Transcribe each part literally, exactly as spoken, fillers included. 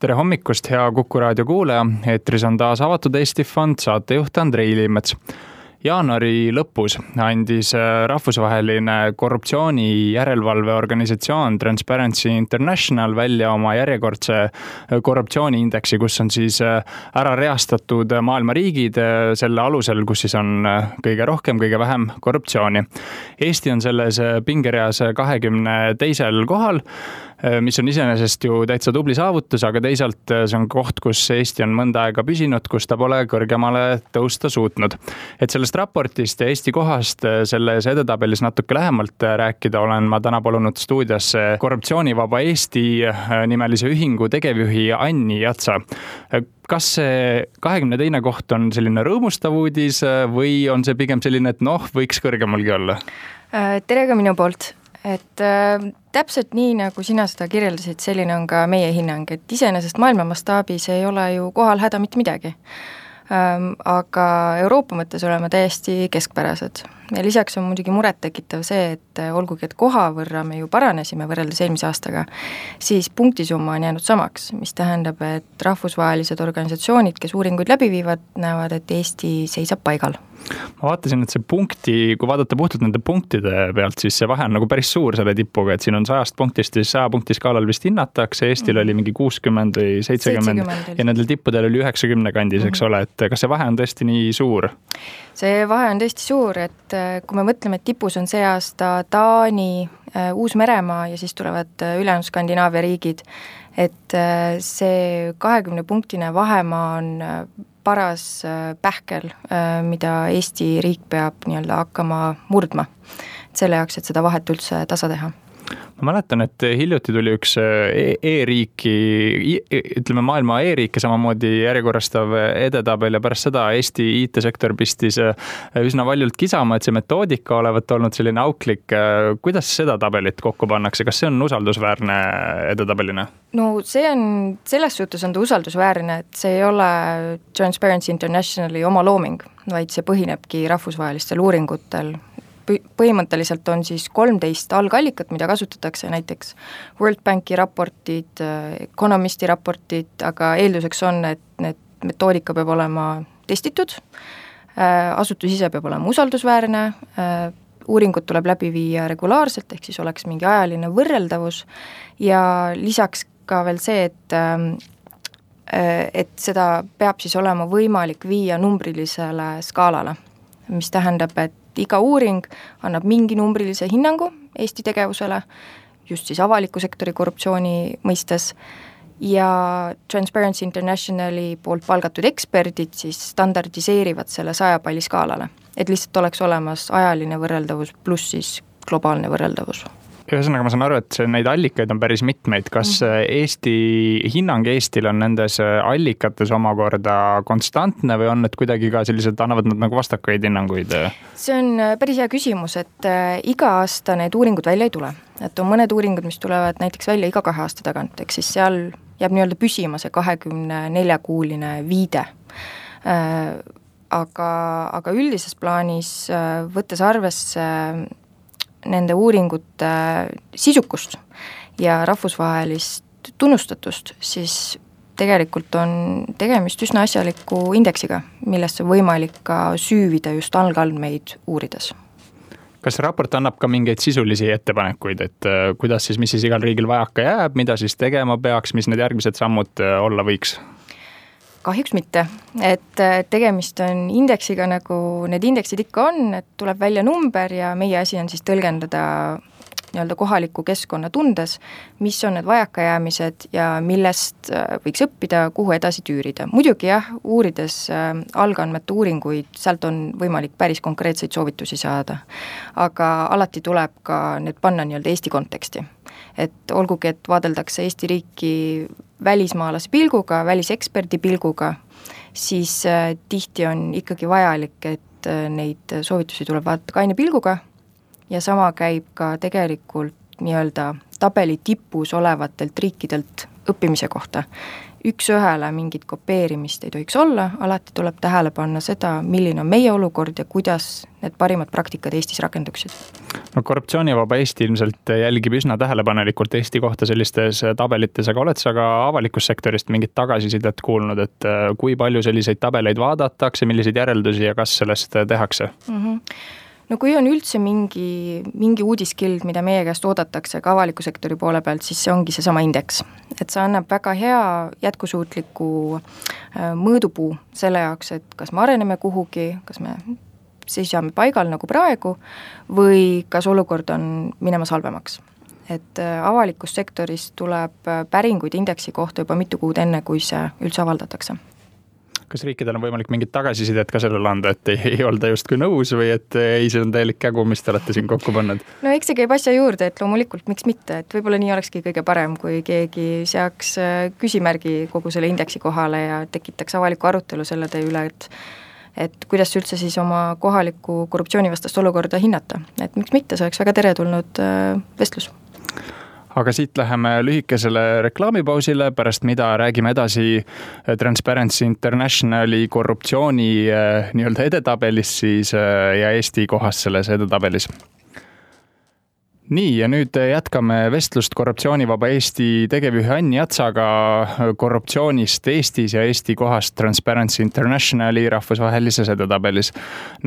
Tere hommikust, hea Kuku raadio kuulaja. Eetris on taas Avatud Eesti Fond, saatejuht Andrei Liimets. Jaanuari lõpus andis rahvusvaheline korruptsiooni järelevalveorganisatsioon Transparency International välja oma järjekordse korruptsiooniindeksi, kus on siis ära reastatud maailma riigid selle alusel, kus siis on kõige rohkem, kõige vähem korruptsiooni. Eesti on selles pingereas kahekümne teisel kohal, mis on iseenesest ju täitsa tubli saavutus, aga teisalt see on koht, kus Eesti on mõnda aega püsinud, kus ta pole kõrgemale tõusta suutnud. Et sellest raportist ja Eesti kohast selles edetabelis natuke lähemalt rääkida olen ma täna palunud stuudiasse Korruptsioonivaba Eesti nimelise ühingu tegevjuhi Anni Jatsa. Kas see kahekümne teine koht on selline rõõmustav uudis või on see pigem selline, et noh, võiks kõrgemalgi olla? Tere ka minu poolt. Et äh, täpselt nii, nagu sina seda kirjeldasid, selline on ka meie hinnang, et iseenesest maailma mastaabis ei ole ju kohal häda mitte midagi. Ähm, aga Euroopa mõttes oleme täiesti keskpärased. Ja lisaks on muidugi muret tekitav see, et olgugi, et koha võrra me ju paranesime võrreldes eelmise aastaga, siis punktisumma on jäänud samaks, mis tähendab, et rahvusvahelised organisatsioonid, kes uuringuid läbi viivad, näevad, et Eesti seisab paigal. Ma vaatasin, et see punkti, kui vaadata puhtalt nende punktide pealt, siis see vahe on nagu päris suur selle tipuga, et siin on sajast punktist ja saja punkti skaalal vist hinnatakse, Eestil mm. oli mingi kuuskümmend või seitsekümmend ja nendel tippudel oli üheksakümne kandis, eks mm. ole, et kas see vahe on tõesti nii suur? See vahe on tõesti suur, et kui me mõtleme, et tipus on see aasta Taani, Uus-Meremaa ja siis tulevad ülejäänud Skandinaavia riigid, et see kahekümne punktine vahemaa on paras pähkel, mida Eesti riik peab nii-öelda hakkama murdma selle jaoks, et seda vahet üldse tasa teha. Ma mäletan, et hiljuti tuli üks e-riiki, ütleme maailma e-riike samamoodi järjekorrastav edetabel ja pärast seda Eesti I T-sektor pistis üsna valjult kisama, et see metoodika olevat olnud selline auklik. Kuidas seda tabelit kokku pannakse? Kas see on usaldusväärne edetabelina? No see on, selles suhtes on ta usaldusväärne, et see ei ole Transparency Internationali oma looming, vaid see põhinebki rahvusvahelistel uuringutel. Põhimõtteliselt on siis kolmteist algallikat, mida kasutatakse, näiteks World Banki raportid, Economisti raportid, aga eelduseks on, et need metoodika peab olema testitud, asutus ise peab olema usaldusväärne, uuringut tuleb läbi viia regulaarselt, ehk siis oleks mingi ajaline võrreldavus ja lisaks ka veel see, et, et seda peab siis olema võimalik viia numbrilisele skaalale, mis tähendab, et iga uuring annab mingi numbrilise hinnangu Eesti tegevusele, just siis avaliku sektori korruptsiooni mõistes, ja Transparency Internationali poolt palgatud eksperdid siis standardiseerivad selle saja palli skaalale, et lihtsalt oleks olemas ajaline võrreldavus pluss siis globaalne võrreldavus. Ühesõnaga, ma saan aru, et neid allikaid on päris mitmeid. Kas Eesti, hinnang Eestil on nendes allikates omakorda konstantne või on need kuidagi ka sellised, annavad nad nagu vastakaid hinnanguid? See on päris hea küsimus, et iga aasta need uuringud välja ei tule. Et on mõned uuringud, mis tulevad näiteks välja iga kahe aasta tagant, ehk siis seal jääb nii-öelda püsima see kahekümne nelja kuuline viide. Aga, aga üldises plaanis võttes arvesse nende uuringute sisukust ja rahvusvahelist tunnustatust, siis tegelikult on tegemist üsna asjaliku indeksiga, millesse võimalik ka süüvida just algandmeid uurides. Kas raport annab ka mingeid sisulisi ettepanekuid, et kuidas siis, mis siis igal riigil vajaka jääb, mida siis tegema peaks, mis need järgmised sammud olla võiks? Kahjuks mitte, et tegemist on indeksiga, nagu need indeksid ikka on, et tuleb välja number ja meie asi on siis tõlgendada nii-öelda kohaliku keskkonna tundes, mis on need vajakajäämised ja millest võiks õppida, kuhu edasi tüürida. Muidugi jah, uurides algandmete uuringuid, sealt on võimalik päris konkreetseid soovitusi saada, aga alati tuleb ka need panna nii-öelda Eesti konteksti. Et olgugi, et vaadeldakse Eesti riiki välismaalase pilguga, väliseksperdi pilguga, siis tihti on ikkagi vajalik, et neid soovitusi tuleb vaadata kaine pilguga ja sama käib ka tegelikult nii-öelda tabeli tipus olevatelt riikidelt õppimise kohta. Üks ühele mingit kopeerimist ei tohiks olla, alati tuleb tähele panna seda, milline on meie olukord ja kuidas need parimad praktikad Eestis rakenduksid. No korruptsioonivaba Eesti ilmselt jälgib üsna tähelepanelikult Eesti kohta sellistes tabelites, aga oled sa ka avalikkussektorist mingit tagasisidet kuulnud, et kui palju selliseid tabeleid vaadatakse, milliseid järeldusi ja kas sellest tehakse? Mm-hmm. No kui on üldse mingi, mingi uudiskild, mida meie käest oodatakse ka avaliku sektori poole pealt, siis see ongi seesama indeks. Et see annab väga hea jätkusuutliku mõõdupuu selle jaoks, et kas me areneme kuhugi, kas me seisame paigal nagu praegu või kas olukord on minemas halvemaks. Et avalikus sektoris tuleb päringuid indeksi kohta juba mitu kuud enne, kui see üldse avaldatakse. Kas riikidel on võimalik mingit tagasisidet ka sellele anda, et ei, ei olda justkui nõus või et ei, see on täielik kägu, mis te olete siin kokku pannud? No eks see käib asja juurde, et loomulikult miks mitte, et võib-olla nii olekski kõige parem, kui keegi seaks küsimärgi kogu selle indeksi kohale ja tekitaks avaliku arutelu selle tee üle, et et kuidas üldse siis oma kohalikku korruptsioonivastast olukorda hinnata. Et miks mitte, see oleks väga teretulnud vestlus. Aga siit läheme lühikesele reklaamipausile, pärast mida räägime edasi Transparency Internationali korruptsiooni nii-öelda edetabelis siis ja Eesti kohas selles edetabelis. Nii, ja nüüd jätkame vestlust korruptsioonivaba Eesti tegevjuhi Anni Atsaga korruptsioonist Eestis ja Eesti kohast Transparency Internationali rahvusvahelises edetabelis.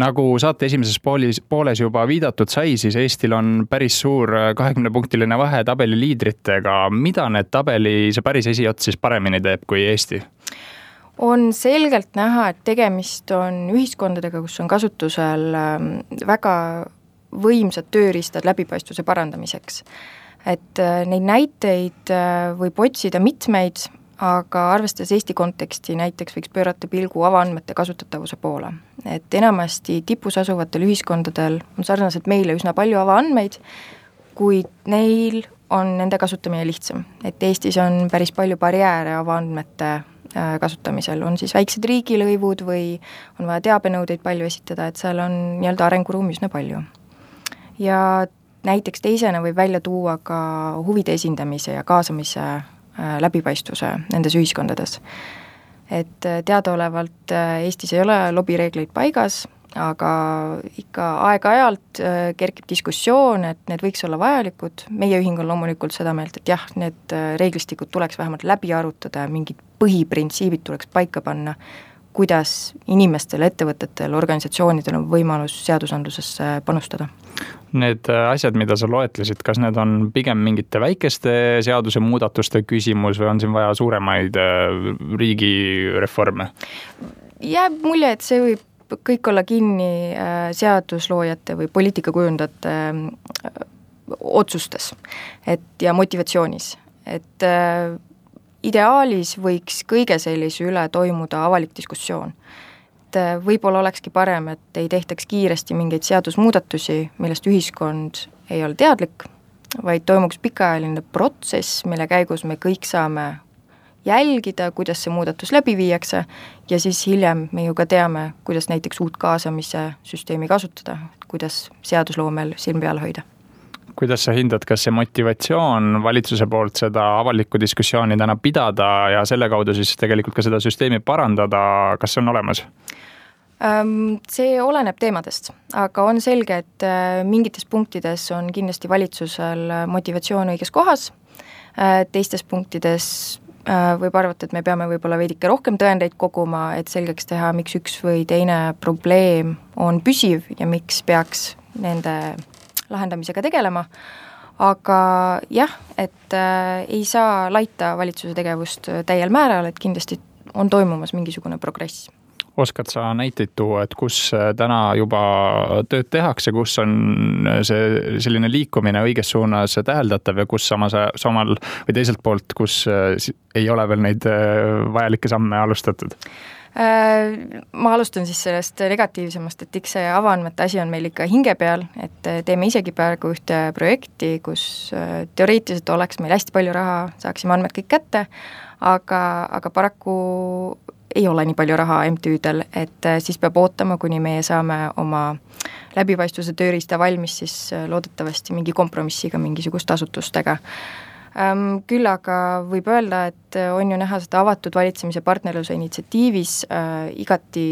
Nagu saate esimeses poolis, pooles juba viidatud sai, siis Eestil on päris suur kahekümnepunktiline vahe tabeli liidritega. Mida need tabeli see päris esiots siis paremini teeb kui Eesti? On selgelt näha, et tegemist on ühiskondadega, kus on kasutusel väga võimsad tööriistad läbipaistvuse parandamiseks. Et neid näiteid võib otsida mitmeid, aga arvestades Eesti konteksti näiteks võiks pöörata pilgu avaandmete kasutatavuse poole. Et enamasti tipus asuvatel ühiskondadel on sarnaselt meile üsna palju avaandmeid, kuid neil on nende kasutamine lihtsam. Et Eestis on päris palju barjääre avaandmete kasutamisel, on siis väiksed riigilõivud või on vaja teabenõudeid palju esitada, et seal on nii-öelda arenguruumi üsna palju. Ja näiteks teisena võib välja tuua ka huvide esindamise ja kaasamise läbipaistvuse nendes ühiskondades. Et teadaolevalt Eestis ei ole lobireegleid paigas, aga ikka aeg-ajalt kerkib diskussioon, et need võiks olla vajalikud. Meie ühing on loomulikult seda meelt, et jah, need reeglistikud tuleks vähemalt läbi arutada, mingid põhiprintsiibid tuleks paika panna, kuidas inimestel, ettevõtetel, organisatsioonidel on võimalus seadusandlusesse panustada. Need asjad, mida sa loetlesid, kas need on pigem mingite väikeste seaduse muudatuste küsimus või on siin vaja suuremaid riigireforme? Jääb mulje, et see võib kõik olla kinni seadusloojate või poliitikakujundajate otsustes et, ja motivatsioonis. Et ideaalis võiks kõige sellise üle toimuda avalik diskussioon. Et võib-olla olekski parem, et ei tehtaks kiiresti mingeid seadusmuudatusi, millest ühiskond ei ole teadlik, vaid toimuks pikaajaline protsess, mille käigus me kõik saame jälgida, kuidas see muudatus läbi viiakse ja siis hiljem me ju ka teame, kuidas näiteks uut kaasamise süsteemi kasutada, kuidas seadusloomel silm peal hoida. Kuidas sa hindad, kas see motivatsioon valitsuse poolt seda avalikku diskussiooni täna pidada ja selle kaudu siis tegelikult ka seda süsteemi parandada, kas see on olemas? See oleneb teemadest, aga on selge, et mingites punktides on kindlasti valitsusel motivatsioon õiges kohas, teistes punktides võib arvata, et me peame võib-olla veidike rohkem tõendeid koguma, et selgeks teha, miks üks või teine probleem on püsiv ja miks peaks nende lahendamisega tegelema, aga jah, et äh, ei saa laita valitsuse tegevust täiel määral, et kindlasti on toimumas mingisugune progress. Oskad sa näiteid tuua, et kus täna juba tööd tehakse, kus on see selline liikumine õiges suunas täheldatav ja kus samas, samal või teiselt poolt, kus ei ole veel neid vajalikke samme alustatud? Ma alustan siis sellest negatiivsemast, et eks see avaandmete asi on meil ikka hinge peal, et teeme isegi praegu ühte projekti, kus teoreetiliselt oleks meil hästi palju raha, saaksime andmed kõik kätte, aga, aga paraku ei ole nii palju raha M T Ü-del, et siis peab ootama, kuni meie saame oma läbipaistvuse tööriista valmis, siis loodetavasti mingi kompromissiga mingisuguste asutustega. Küll aga võib öelda, et on ju näha seda avatud valitsemise partnerluse initsiatiivis igati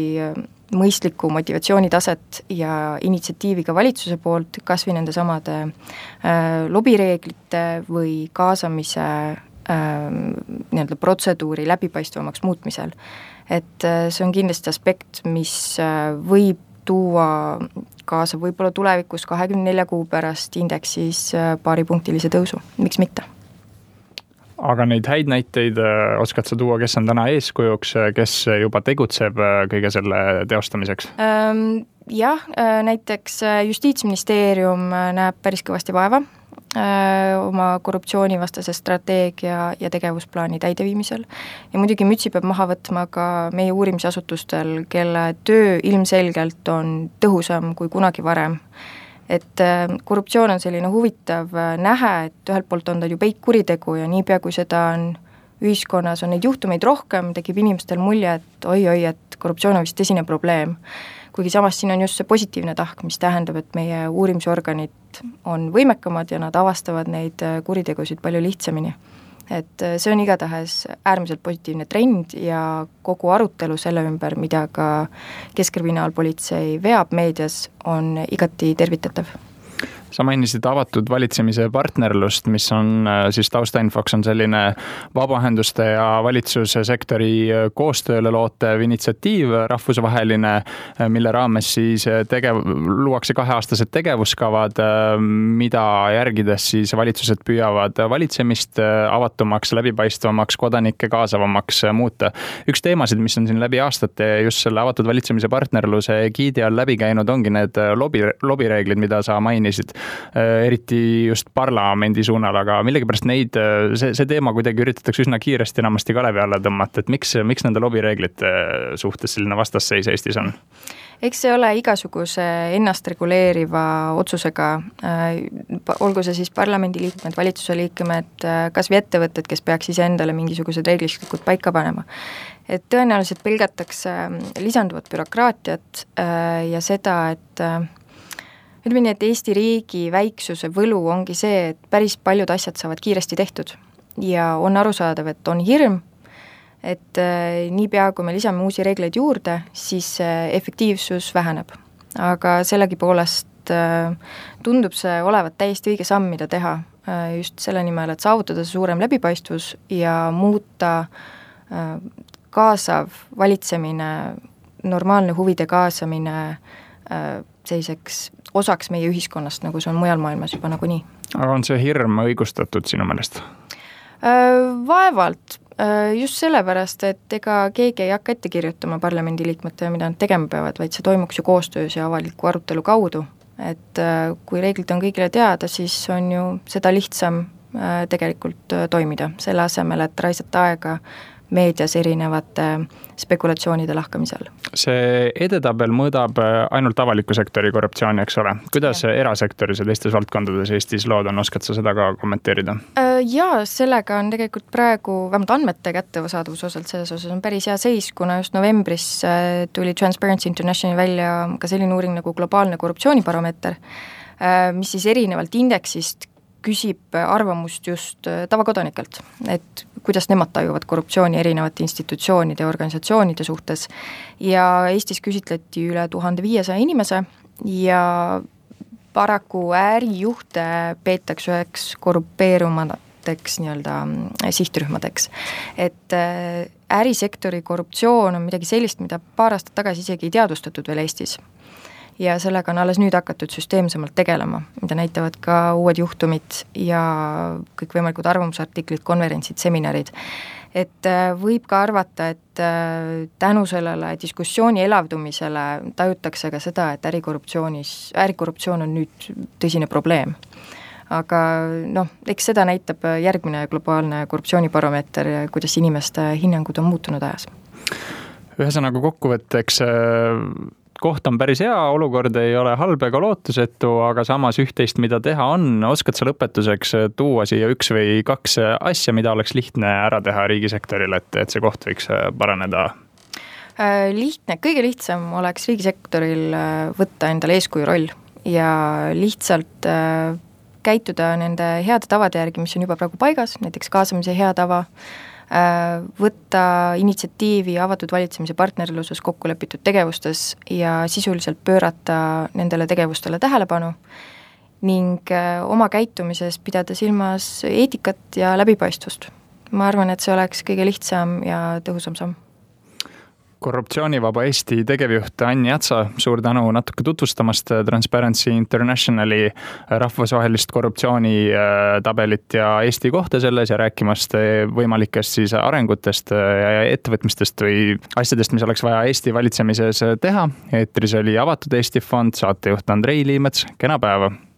mõistlikku motivatsioonitaset ja initsiatiivi ka valitsuse poolt, kas või nende samade lobireeglite või kaasamise nii-öelda protseduuri läbipaistvamaks muutmisel. Et see on kindlasti aspekt, mis võib tuua kaasa võib-olla tulevikus kahekümne nelja kuu pärast indeksis paaripunktilise tõusu, miks mitte? Aga neid häid näiteid oskad sa tuua, kes on täna eeskujuks, kes juba tegutseb kõige selle teostamiseks? Jah, näiteks Justiitsministeerium näeb päris kõvasti vaeva oma korruptsioonivastase strateegia ja tegevusplaani täideviimisel. Ja muidugi mütsi peab maha võtma ka meie uurimisasutustel, kelle töö ilmselgelt on tõhusam kui kunagi varem. Et korruptsioon on selline huvitav nähe, et ühelt poolt on ta ju peitkuritegu ja niipea, kui seda on ühiskonnas, on neid juhtumeid rohkem, tekib inimestel mulje, et oi-oi, et korruptsioon on vist tõsine probleem. Kuigi samas siin on just see positiivne tahk, mis tähendab, et meie uurimisorganid on võimekamad ja nad avastavad neid kuritegusid palju lihtsamini. Et see on igatahes äärmiselt positiivne trend ja kogu arutelu selle ümber, mida ka Keskkriminaalpolitsei veab meedias, on igati tervitatav. Sa mainisid avatud valitsemise partnerlust, mis on siis taustainfoks on selline vabaühenduste ja valitsussektori koostööle lootev initsiatiiv rahvusvaheline, mille raames siis tegev, luuakse kaheaastased tegevuskavad, mida järgides siis valitsused püüavad valitsemist avatumaks, läbipaistvamaks, kodanikke kaasavamaks muuta. Üks teemasid, mis on siin läbi aastate just selle avatud valitsemise partnerluse giidi all läbi käinud, ongi need lobi, lobireeglid, mida sa mainisid. Eriti just parlamendi suunal, aga millegipärast neid, see, see teema kuidagi üritatakse üsna kiiresti enamasti kalevi alla tõmmata, et miks, miks nende lobireeglite suhtes selline vastasseis Eestis on? Eks see ole igasuguse ennast reguleeriva otsusega, olgu see siis parlamendi liikmed, valitsuse liikmed, kas või ettevõtted, kes peaks ise endale mingisugused reeglistikud paika panema. Et tõenäoliselt pelgatakse lisanduvat bürokraatiat ja seda, et ütleme nii, et Eesti riigi väiksuse võlu ongi see, et päris paljud asjad saavad kiiresti tehtud ja on arusaadav, et on hirm, et niipea, kui me lisame uusi reegleid juurde, siis efektiivsus väheneb. Aga sellegipoolest tundub see olevat täiesti õige samm, mida teha just selle nimel, et saavutada see suurem läbipaistvus ja muuta kaasav valitsemine, normaalne huvide kaasamine selliseks osaks meie ühiskonnast, nagu see on mujal maailmas juba nagu nii. Aga on see hirm õigustatud sinu meelest? Vaevalt. Just sellepärast, et ega keegi ei hakka ette kirjutama parlamendiliikmete, mida nad tegema peavad, vaid see toimuks ju koostöös ja avaliku arutelu kaudu. Et kui reeglid on kõigile teada, siis on ju seda lihtsam tegelikult toimida, selle asemel, et raisata aega meedias erinevate spekulatsioonide lahkamisel. See edetabel mõõdab ainult avaliku sektori korruptsiooni, eks ole. Kuidas ja. erasektoris ja teistes valdkondades Eestis lood on, oskad sa seda ka kommenteerida? Jaa, sellega on tegelikult praegu, vähemalt andmete kättesaadavuse osalt selles osas on päris hea seis, kuna just novembris tuli Transparency International välja ka selline uuring nagu globaalne korruptsioonibaromeeter, mis siis erinevalt indeksist küsib arvamust just tavakodanikelt, et kuidas nemad tajuvad korruptsiooni erinevate institutsioonide ja organisatsioonide suhtes. Ja Eestis küsitleti üle tuhande viiesaja inimese ja paraku ärijuhte peetakse üheks korrupeerumateks nii-öelda sihtrühmadeks. Et ärisektori korruptsioon on midagi sellist, mida paar aastat tagasi isegi ei teadvustatud veel Eestis. Ja sellega on alles nüüd hakatud süsteemsemalt tegelema, mida näitavad ka uued juhtumid ja kõikvõimalikud arvamusartiklid, konverentsid, seminarid. Et võib ka arvata, et tänu sellele diskussiooni elavdumisele tajutakse ka seda, et ärikorruptsioonis, ärikorruptsioon on nüüd tõsine probleem. Aga noh, eks seda näitab järgmine globaalne korruptsioonibaromeeter, kuidas inimeste hinnangud on muutunud ajas. Ühesõnaga kokkuvõtteks koht on päris hea, olukord ei ole halb ega lootusetu, aga samas üht-teist, mida teha on, oskad sa lõpetuseks tuua siia üks või kaks asja, mida oleks lihtne ära teha riigisektoril, et, et see koht võiks paraneda? Lihtne, kõige lihtsam oleks riigisektoril võtta endale eeskuju roll ja lihtsalt käituda nende heade tavade järgi, mis on juba praegu paigas, näiteks kaasamise hea tava, võtta initsiatiivi avatud valitsemise partnerluses kokku lepitud tegevustes ja sisuliselt pöörata nendele tegevustele tähelepanu ning oma käitumises pidada silmas eetikat ja läbipaistvust. Ma arvan, et see oleks kõige lihtsam ja tõhusam samm. Korruptsioonivaba Eesti tegevjuht Anni Atsa, suur tänu natuke tutvustamast Transparency Internationali rahvusvahelist korruptsioonitabelit ja Eesti kohta selles ja rääkimast võimalikest siis arengutest ja ettevõtmistest või asjadest, mis oleks vaja Eesti valitsemises teha. Eetris oli Avatud Eesti Fond, saatejuht Andrei Liimets, kena päeva!